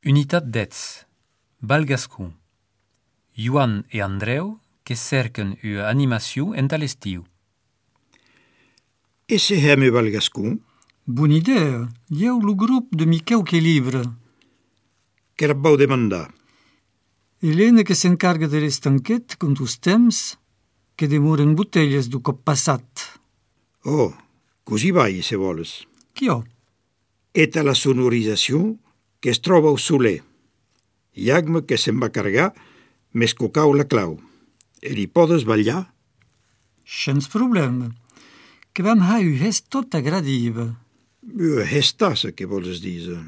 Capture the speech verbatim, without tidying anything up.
Unitat dez. Balgascon. Joan e Andreu que cerquen ua animació en l'estiu. E se hem u Balgascon? Bona idea. Eu lo grup de Miquel que livra. Que la vau demandar? Helena que s'encarga de l'estanquet con os temps que demoren botelles do cop passat. Oh, così vai, se voles. Chi ho? Eta la sonorització que es troba al soler. Iagme que se'n va carregar més cocau la clau. E li podes ballar? Sens problema. Que vam ha u hest tot agradiva. Ua hestassa, que vols dir?